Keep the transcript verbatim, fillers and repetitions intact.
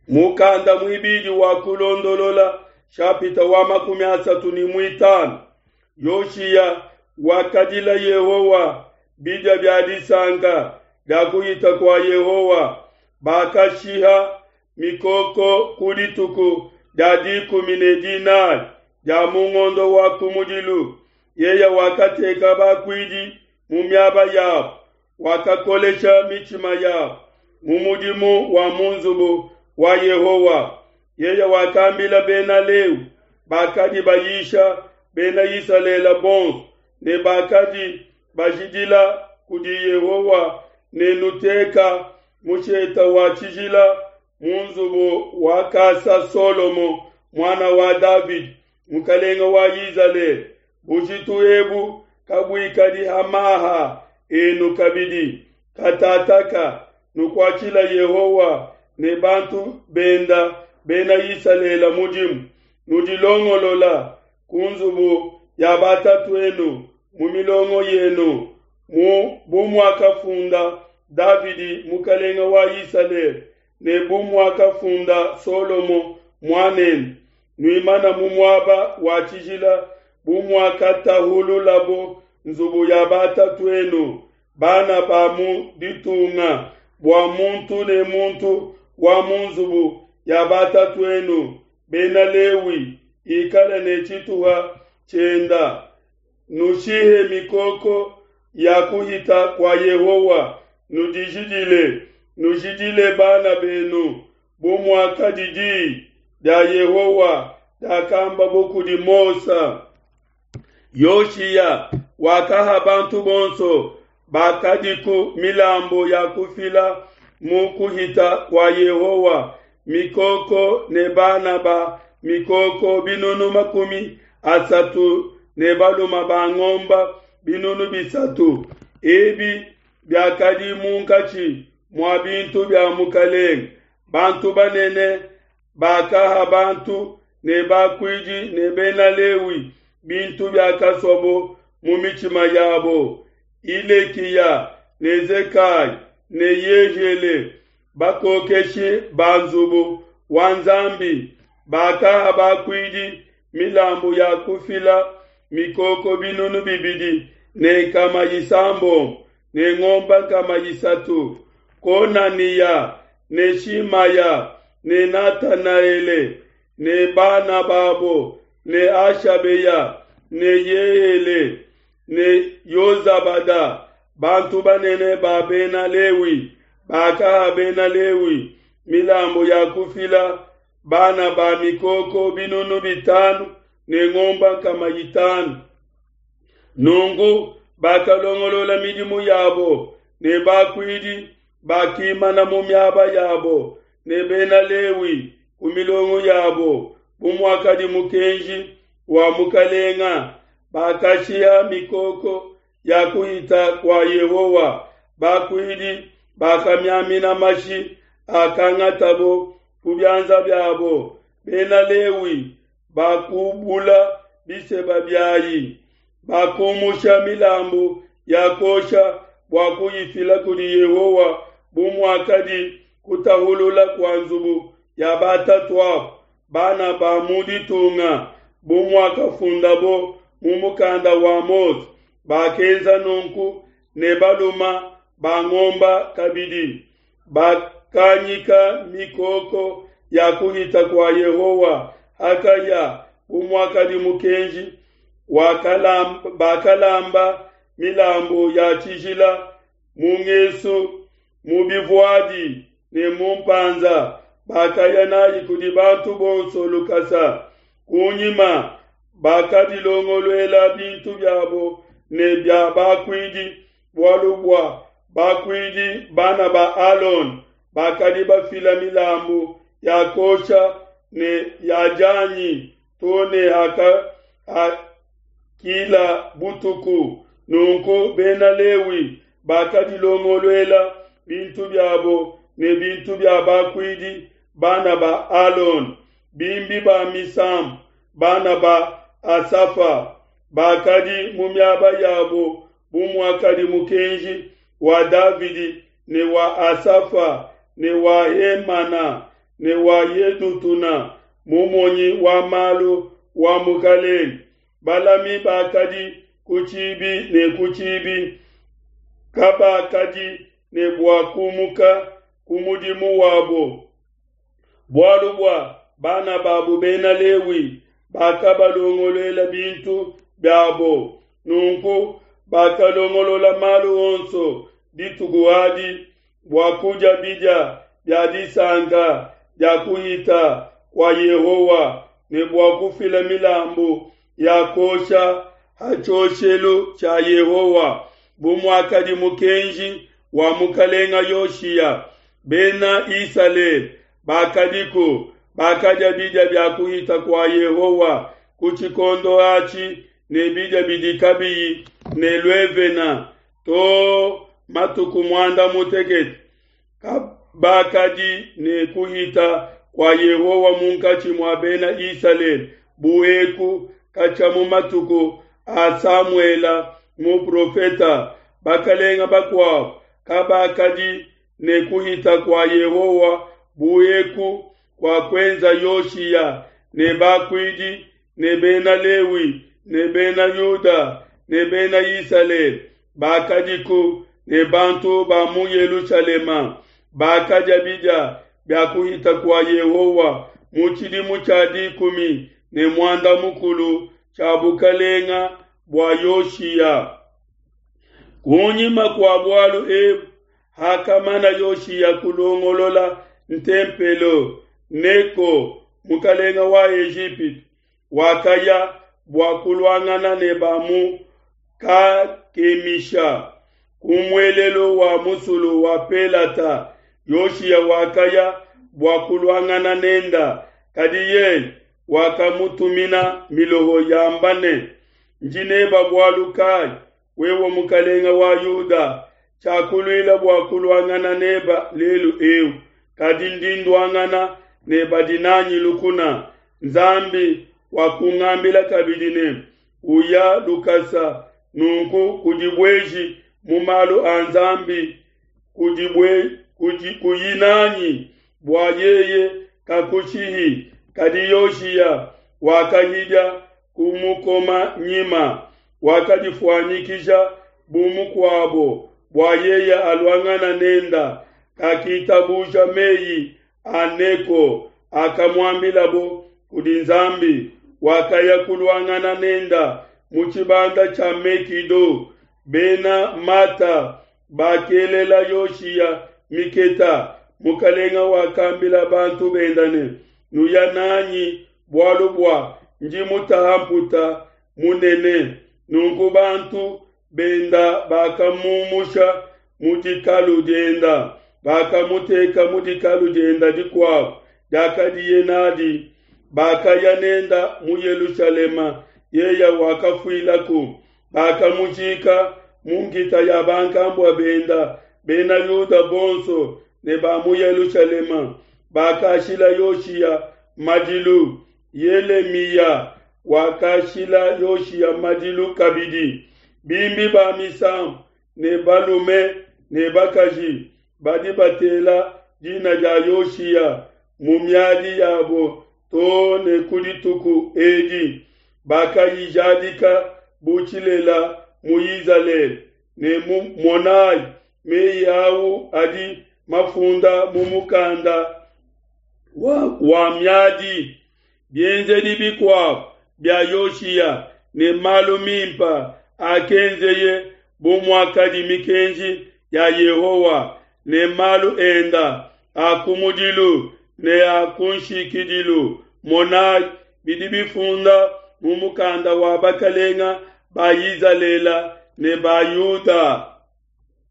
Mukanda muibidi wa Kulondolola shapita wa makumi asatu ne muitanu. Yoshiya wakadila Yehowa bidia bia disanka dia kuhita kua Yehowa. Bakashiha mikoko ku dituku dia dikumi ne dinai dia mu ngondo wa kumudilu. Yeye wakateka bakuidi mu miaba yabo, wakakolesha mitshima yabo mu mudimu wa mu nzubu wa Yehowa. Yeye wakambila Bena Lewi bakadi bayisha Bena Isalele bonso ne bakadi bajidila kudi Yehowa ne nuteka mushete wa tshijila mu nzubu wakasa Solomo muana wa Davidi mukalenge wa Izalele. Bujitu ebu kabuikadi ha maha enu kabidi. Katataka nukuatshila Yehowa ne bantu benda Bena Isalele mudimu. Nudilongolola ku nzubu ya batatu'enu mu milongo yenu mu bu muakafunda Davidi mukalenge wa Isalele ne bu muakafunda Solomo muanende. Nuimana mu muaba wa tshijila bu muakatahululabo nzubu ya batatu'enu bana ba mu ditunga bua muntu ne muntu wa mu nzubu ya batatu'enu Bena Lewi ikale ne tshituha tshienda. Nushihe mikoko ya kuhita kua Yehowa, nudijidile, nujidile bana benu, bu muakadi di dia Yehowa diakambabo kudi Mose. Yoshiya wakaha bantu bonso bakadiku milambu ya kufila mu kuhita kua Yehowa, mikoko ne bana ba mikoko binunu makumi asatu ne balume ba ngomba binunu bisatu. Ebi biakadi munkatshi mua bintu bia mukalenge. Bantu banene bakaha bantu ne bakuidi ne Bena Lewi bintu biakasuabo mu mitshima yabo. Hilekiya ne Zekai ne Yehiele bakokeshi ba nzubu wa Nzambi bakaha bakuidi milambu ya kufila mikoko binunu bibidi ne nkama isambombo ne ngombe nkama isatu. Konaniya ne Shimaya ne Natanaele ne bana babo ne Ashabeya ne Yeele ne Yozabada bantu banene ba Bena Lewi bakaha Bena Lewi milambu ya kufila bana ba mikoko binunu bitanu ne ngombe nkama itanu. Nunku bakalongolola midimu yabo ne bakuidi bakimana mu miaba yabo ne Bena Lewi ku milongo yabo bu muakadi mukenji wa mukalenga. Bakashiha mikoko ya kuhita kua Yehowa. Bakuidi bakamiamina mashi akangatabo ku bianza biabo. Bena Lewi bakubula biseba biayi, bakumusha milambu ya kosha bua kuyifila kudi Yehowa bu muakadi kutahulula kua nzubu ya batatuabo bana ba mu ditunga bu muakafundabo mu mukanda wa Mose. Bakenza nunku ne baluma ba ngomba kabidi. Bakanyika mikoko ya kuhita kua Yehowa hakaya bu muakadi mukenji. Wakalamba, bakalamba milambu ya tshijila mu ngesu mu bivuadi ne mu mpanza. Bakaya nayi kudi bantu bonso lukasa. Kunyima bakadilongoluela bintu biabo ne bia bakuidi, bualu bua bakuidi bana ba Alon bakadi bafila milambu ya kosha ne ya janyi to ne haka hakila butuku. Nunku Bena Lewi bakadilongoluela bintu biabo ne bintu bia bakuidi bana ba Alon, bimbi ba misambu bana ba Asafa bakadi mu miaba yabo bu muakadi mukenji wa Davidi ne wa Asafa ne wa Hemana ne wa Yedutuna mumonyi wa malu wa mukalenge. Balami bakadi ku tshibi ne ku tshibi kabakadi ne bua kumuka ku mudimu wabo, bualu bua bana babu bena Lewi bakabalongoluela bintu biabo. Nunku bakalongolola malu onso dituku adi bua kudia bidia bia disanka dia kuhita kua Yehowa ne bua kufila milambu ya kuosha ha tshioshelu tshia Yehowa, bu muakadi mukenji wa mukalenga Yoshiya. Bena Isalele bakadiku bakadia bidia bia kuhita kua Yehowa ku tshikondo atshi ne bidia bidi kabiyi ne luevena to matuku muanda mutekete. Kabakadi ne kuhita kua Yehowa munkatshi mua Bena Isalele bu eku katshia mu matuku a Samuela muprofeta. Bakalenga bakuabo kabakadi ne kuhita kua Yehowa bu eku kua kuenza Yoshiya ne bakuidi ne Bena Lewi ne Bena Yuda ne Bena Isalele bakadiku ne bantu ba mu Yelushalema bakadia bidia bia kuhita kua Yehowa mu tshidimu tshia dikumi ne muanda mukulu tshia bukalenga bua Yoshiya. Kunyima kua bualu ebu, hakamana Yoshiya kulongolola ntempelo, Neko mukalenga wa Ejipitu wakaya bua kuluangana ne ba mu Kakemisha ku muelelu wa musulu wa Pelata. Yoshiya wakaya bua kuluangana nenda, kadi yeye wakamutumina miloho yamba ne: Ndi neba bualu kayi, wewe mukalenga wa Yuda? Tshiakuluila bua kuluangana neba lelu eu, kadi ndi nduangana ne badi nanyi lukuna. Nzambi wakungambila kabidi ne: Uya lukasa, nunku kudibueji mu malu a Nzambi, kudibue kudi kuyi nanyi bua yeye kakushihi. Kadi Yoshiya wakahidia kumukoma nyima, wakadifuanyikija bu mukuabo bua yeye aluangana nenda. Kakitabuja meyi a Neko akamuambilabo kudi Nzambi. Wakaya kuluangana nenda mu tshibanda tshia Mekido. Bena Mata bakelela Yoshiya miketa. Mukalenga wakambila bantu benda ne: Nuya nanyi, bualu bua ndi mutaha mputa munene. Nunku bantu benda bakamumusha mu dikalu dienda, bakamuteka mu dikalu dienda dikuabo diakadiye nadi. Bakaya nenda mu Yelushalema, yeye wakafuilaku. Bakamujika mu nkita ya bankambua benda. Bena Yuda bonso ne ba mu Yelushalema bakashila Yoshiya madilu. Yelemiya wakashila Yoshiya madilu kabidi. Bimbi ba misambu ne balume ne bakaji badi batela dina dia Yoshiya mu miadi yabo to ne ku dituku edi. Bakayijadika bu tshilela mu Izalele ne mu monayi meyi au adi mafunda mu mukanda wa, wa miadi. Bienzedi bikuabo bia Yoshiya ne malu mimpa akenzeye bu muakadi mikenji ya Yehowa ne malu enda a kumudilu ne a kunshikidilu, monayi bidi bifunda mu mukanda wa bakalenga ba Izalele ne ba Yuda.